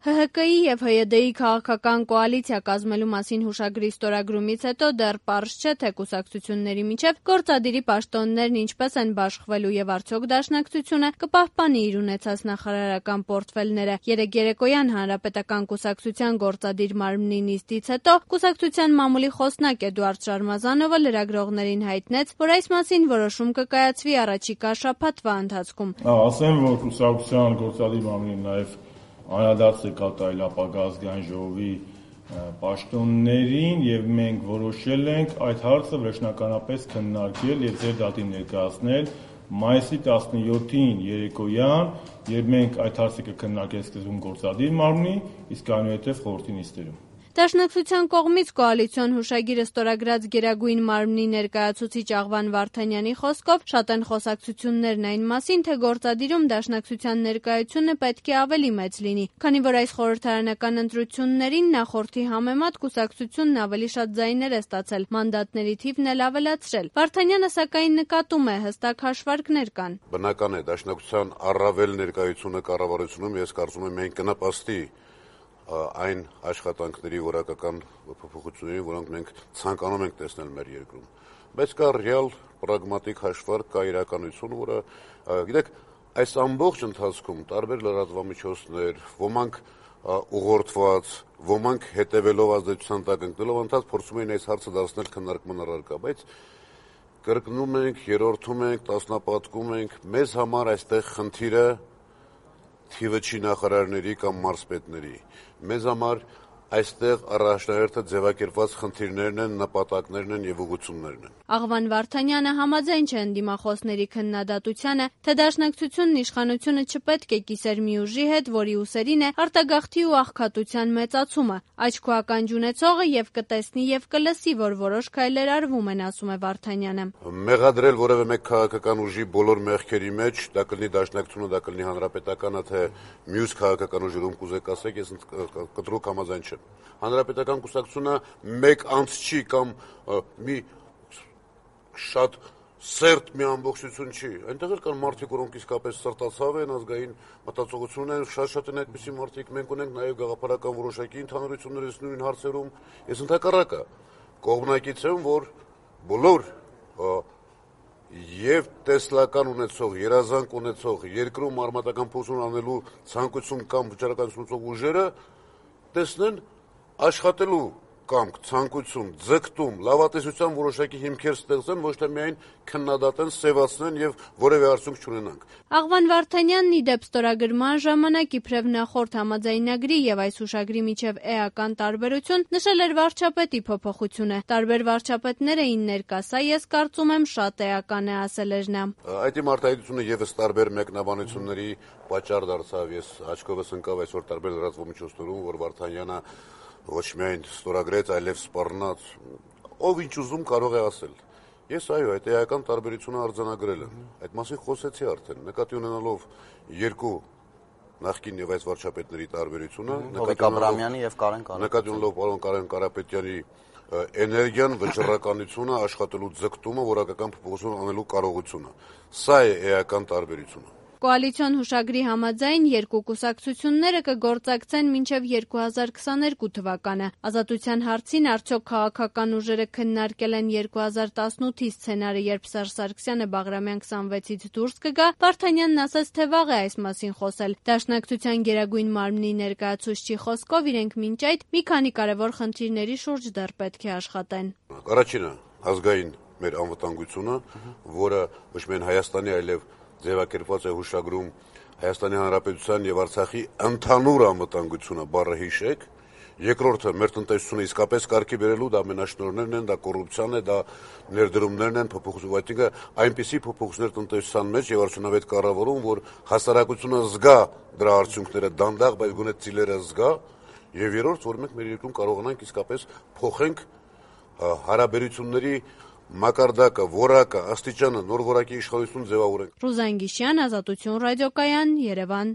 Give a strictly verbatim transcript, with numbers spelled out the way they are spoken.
Հ Հ Կի եւ Հ Յ Դ-ի քաղաքական կոալիցիա կազմելու մասին հուշագրի ստորագրումից հետո դեռ պարզ չէ, թե կուսակցությունների միջև գործադիրի պաշտոններն ինչպես են բաշխվելու եւ արդյոք Դաշնակցությունը կպահպանի իր ունեցած նախարարական պորտֆելները։ Երեկ երեկոյան Հանրապետական կուսակցության գործադիր մարմնի նիստից հետո կուսակցության մամուլի խոսնակ Էդուարդ Շարմազանովը լրագրողներին հայտնեց, որ այս մասին որոշում կկայացվի առաջիկա շաբաթվա ընթացքում։ Ասեմ, որ կուսակցության գործադիր մարմնի նաեւ անդրադարձ է կատարել ապագա ազգային ժողովի պաշտոններին եւ մենք որոշել ենք այդ հարցը վերջնականապես քննարկել եւ ձեր դատին ներկայացնել մայիսի տասնյոթին երեկոյան, երբ մենք այդ հարցը կքննարկենք սկզբում գործադիր մարմնի, իսկ այնուհետեւ խորհրդի նիստերում։ Դաշնակցության կողմից կոալիցիոն հուշագիրը ստորագրած Գերագույն մարմնի ներկայացուցիչ Աղվան Վարդանյանի խոսքով շատ են խոսակցություններն այն մասին, թե գործադիրում Դաշնակցության ներկայությունը պետք է ավելի մեծ լինի, քանի որ այս խորհրդարանական ընտրություններին նախորդի համեմատ կուսակցությունն ավելի շատ ձայներ է ստացել, մանդատների թիվն էլ ավելացրել։ Վարդանյանը սակայն նկատում է, հստակ հաշվարկներ կան։ Բնական է, Դաշնակցության առավել ներկայությունը կառավարությունում ես կարծում եմ մենք կնպաստի այն աշխատանքների որակական փոփոխությունների, որոնք մենք ցանկանում ենք տեսնել մեր երկրում։ Բայց կա ռեալ պրագմատիկ հաշվարկ, կա իրականություն, որը, գիտեք, այս ամբողջ ընթացքում տարբեր լրատվամիջոցներ, ոմանք ուղղորդված, ոմանք հետևելով ազդեցության տակ ընկնելով ընթաց փորձում էին այս հարցը դարձնել քննարկման առարկա, բայց կրկնում ենք, երրորդում ենք, տասնապատկում ենք, մեզ համար այստեղ խնդիրը թիվը չի նախարարների կամ մարզպետների։ Մեզ համար այստեղ առաջնահերթը ձևակերպված խնդիրներն են, նպատակներն են եւ ուղղություններն են։ Աղվան Վարդանյանը համաձայն չէ ընդդիմախոսների քննադատությանը, թե Դաշնակցությունն իշխանությունը չպետք է կիսեր մի ուժի հետ, որի ուսերին է արտագաղթի ու աղքատության մեծացումը։ Աչք ու ականջ ունեցողը եւ կտեսնի եւ կլսի, որ որոշ քայլեր արվում են, ասում է Վարդանյանը։ Մեղադրել որևէ մեկ քաղաքական ուժի բոլոր մեղքերի մեջ, դա կլինի Դաշնակցությունը, դա կլինի Հանրապետականը, թե մյուս քաղաքական ուժերում կուզեք ասեք, ես կտրուկ համաձայն չեմ։ Հանրապետական կուսակցությունը մեկ անց չի կամ մի շատ սերտ մի ամբողջություն չի։ Այնտեղ էլ կան մարդիկ, որոնք իսկապես սրտացավ են, ազգային մտածողություն են, շատ-շատ են այդպիսի մարդիկ, մենք ունենք նաև գաղափարական որոշակի ընդհանրություններ այս նույն հարցերում։ Ես ընդհակառակը կողմնակից եմ, որ բոլոր եւ տեսլական ունեցող, երազանք ունեցող, երկրում արմատական փոխություն անելու ցանկություն կամ վճռականություն ունեցող ուժերը տեսնեն աշխատելու կամք, ցանկություն, ձգտում, լավատեսության որոշակի հիմքեր ստեղծեն, ոչ թե միայն քննադատեն, սևացնեն եւ որևէ արդյունք չունենանք։ Աղվան Վարդանյանն ի դեպ ստորագրման ժամանակ իբրև նախորդ համաձայնագրի եւ այս հուշագրի միջև էական տարբերություն նշել էր վարչապետի փոփոխությունը։ Տարբեր վարչապետներ էին ներկա, սա ես կարծում եմ շատ էական է, ասել էր նա։ Այդ իմ արտահայտությունը եւս տարբեր մեկնաբանությունների պատճառ դարձավ։ Ես աչքովս ընկավ այսօր տարբեր լրատվամիջոցներում, որ Վարդանյանը ոչ միայն ստորագրեց, այլև սպառնաց, ով ինչ ուզում կարող է ասել։ Ես այո, այդ էական տարբերությունը արձանագրել եմ։ Այդ մասին խոսեցի արդեն, նկատի ունենալով երկու նախկին եւ այս վարչապետների տարբերությունը, Հովիկ Աբրամյանի եւ Կարեն Կարապետյանի, նկատի ունենալով պարոն Կարեն Կարապետյանի էներգիան, վճռականությունը, աշխատելու ձգտումը, որակական փոփոխություն անելու կարողությունը։ Սա է էական տարբերությունը։ Կոալիցիոն հուշագրի համաձայն երկու կուսակցությունները կգործակցեն մինչև երկու հազար քսաներկու թվականը։ Ազատության հարցին արդյոք քաղաքական ուժերը քննարկել են երկու հազար տասնութի սցենարը, երբ Սերժ Սարգսյանը Բաղրամյան քսանվեցից դուրս կգա, Վարդանյանն ասաց, թե վաղ է այս մասին խոսել։ Դաշնակցության Գերագույն մարմնի ներկայացուցչի խոսքով իրենք մինչ այդ մի քանի կարևոր խնդիրների շուրջ դեռ պետք է աշխատեն։ Առաջինը ազգային մեր անվտանգությունը, որը ոչ միայն Հայաստանի, այլև ձևակերպված է հուշագրում Հայաստանի Հանրապետության եւ Արցախի ընդհանուր անվտանգությունը, բառը հիշեք։ Երկրորդը մեր տնտեսությունը իսկապես կարգի բերելու, դա մենաշնորհներն են, դա կոռուպցիան է, դա ներդրումներն են, փոփոխություն, այսինքն այնպիսի փոփոխություններ տնտեսության մեջ եւ արդյունավետ կառավարում, որ հասարակությունը զգա դրա արդյունքները դանդաղ, բայց գոնե ծիլերը զգա։ Եվ երրորդ, որ մենք մեր երկրում կարողանանք իսկապես փոխենք հարաբերությունների մակարդակը, որակը, աստիճանը, նոր որակի իշխանություն ձևավորենք։ Ռուզան Գիշյան, Ազատություն ռադիոկայան, Երևան։